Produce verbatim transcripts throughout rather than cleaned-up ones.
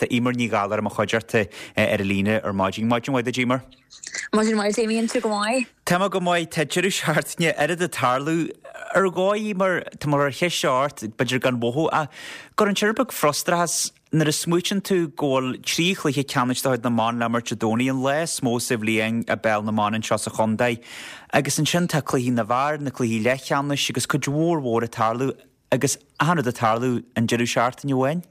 tá Eimear Ní Ghallachair i mo chuideachta ar an líne ar maidin. Maidin mhaith duit, Eimear. Maidin mhaith, Damien, tú go maith? Tá mé go maith, tá deireadh seachtaine oiread ag tarlú ar dhóigh mar tá mar ar cheist seo ort, b'fhéidir gan mhothú ach gcuireann sé rud beag frustrachas nuair a smaoitíonn tú go bhfuil trí chluiche ceannais de chuid na mban le imirt Dé Domhnaigh, an lá is mó sa bhliain i bpeil na mban anseo sa chontae agus ansin tá cluichí na bhfear, na cluichí leathcheannais agus cuid mhór mhór ag tarlú agus achan rud ag tarlú an deireadh seachtaine amháin.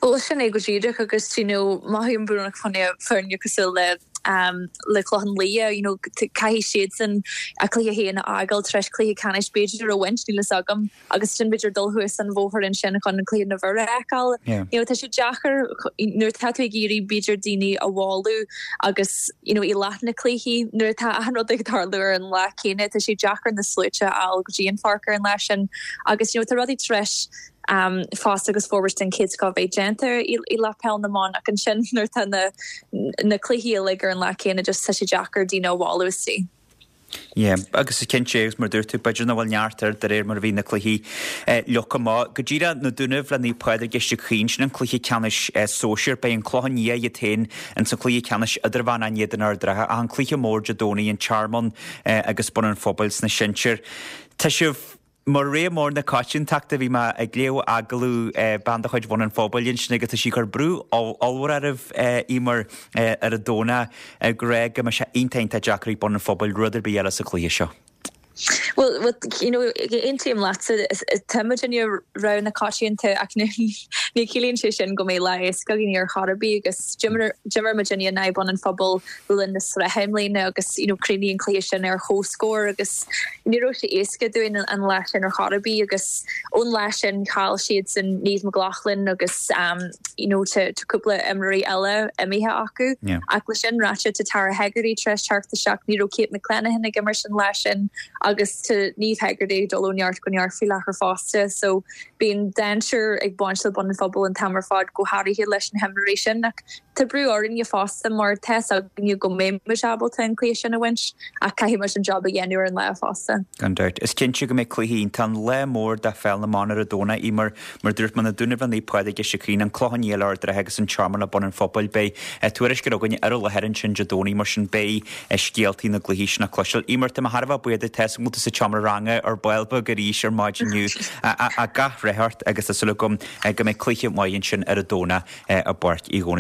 Well sin é go díreach agus you know mothaím brónach fá choinne foirne cosúil le um, le Clochán Liath, you know, caithfidh siadsan a cluiche féin a fhágáil tar éis cluiche ceannais b'fhéidir a bhaint níl a fhios agam agus sin b'fhéidir dul thuas an bóthar ansin chun an cluiche na bhfear a fheiceáil. Yeah. You know, tá sé deacair nuair atá tú ag iarraidh b'fhéidir daoine a mhealladh agus you know, i lá na cluichí nuair atá achan rud ag tarlú ar an lá céanna tá sé deacair na sluaite a fháil go dtí an pháirc ar an lá sin agus you know, tá rudaí tar éis um, fás agus forbairt den chéad scoth bheith déanta i, i leith peil na mban ach ansin nuair atá na, na cluichí uilig ar an lá céanna just tá sé deacair daoine a mhealladh istigh. Yeah, agus is cinnte agus mar dúirt tú b'fhéidir nach bhfuil neart air de réir mar a bhí na cluichí eh, leagtha amach. Go díreach na Dúnaibh le Naomh Pádraig Istigh Caoin sin an cluiche ceannais eh, sóisir beidh an Clochán Liath iad féin in sa cluiche ceannais idirmheánach in éadan Ard an Rátha ach an cluiche mór Dé Domhnaigh an Tearmann eh, agus Bun an Phobail sna sinsir. Tá sibh mar rogha mór na coitiantachta bhí mé ag léamh agallamh eh, bean de chuid Bhun an Phobail ansin agus tá sí ag cur brú ollmhór oraibh eh, Eimear eh, ar an Domhnach ag rá go mbeidh sé iontach iontach deacair ag Bun an Phobail rud ar bith eile sa chluiche seo. Well, well you know, aontaím leatsa táimid inár rogha na coitianta ach ní ní chiallaíonn sé sin go mbeidh lá éasca againn ar chor ar bith agus d'imir muidinne in aghaidh Bun an Phobail le linn na sraithe i mbliana agus you know, chríochnaigh an cluiche sin ar chomhscór agus ní raibh sé éasca dúinn an lá sin ar chor ar bith agus ón lá sin chaill siad san Niamh McLaughlin agus um, you know, tá cúpla imreoirí eile imithe acu Yeah. ach le sin ráite tá Tara Hegarty tar éis teacht isteach ní raibh Kate McClenahan ag imirt an lá sin agus tá Niamh Hegarty dul ó neart go neart faoi láthair fosta so bíonn dainséar ag baint le Bun an Phobail an t-am ar fad go háirithe leis na himreoirí sin ach tá brú orainne fosta mar tá a fhios againne go mbeidh ábalta an cluiche sin a bhaint ach caithfidh an job a dhéanamh ar an lá fosta. Gan dabht. Is cinnte go mbeidh cluiche iontach an lá mór de pheil na mban ar an Domhnach Eimear mar dúirt mé na Dúnaibh le Naomh Pádraig Istigh Caoin an Clochán Liath Ard an Rátha agus an Tearmann le Bun an Phobail beidh tuairisc againn ar an láthair ansin Dé Domhnaigh mar sin beidh scéaltaí na gcluichí sin le cloisteáil. Eimear tá mé thar a bheith buíoch tá tú sa tseomra ranga ar ball beag arís ar maidin inniu a gach rath ort agus tá súil agam go mbeidh cluiche maith ansin ar an Domhnach i bPáirc Uí Dhónaill.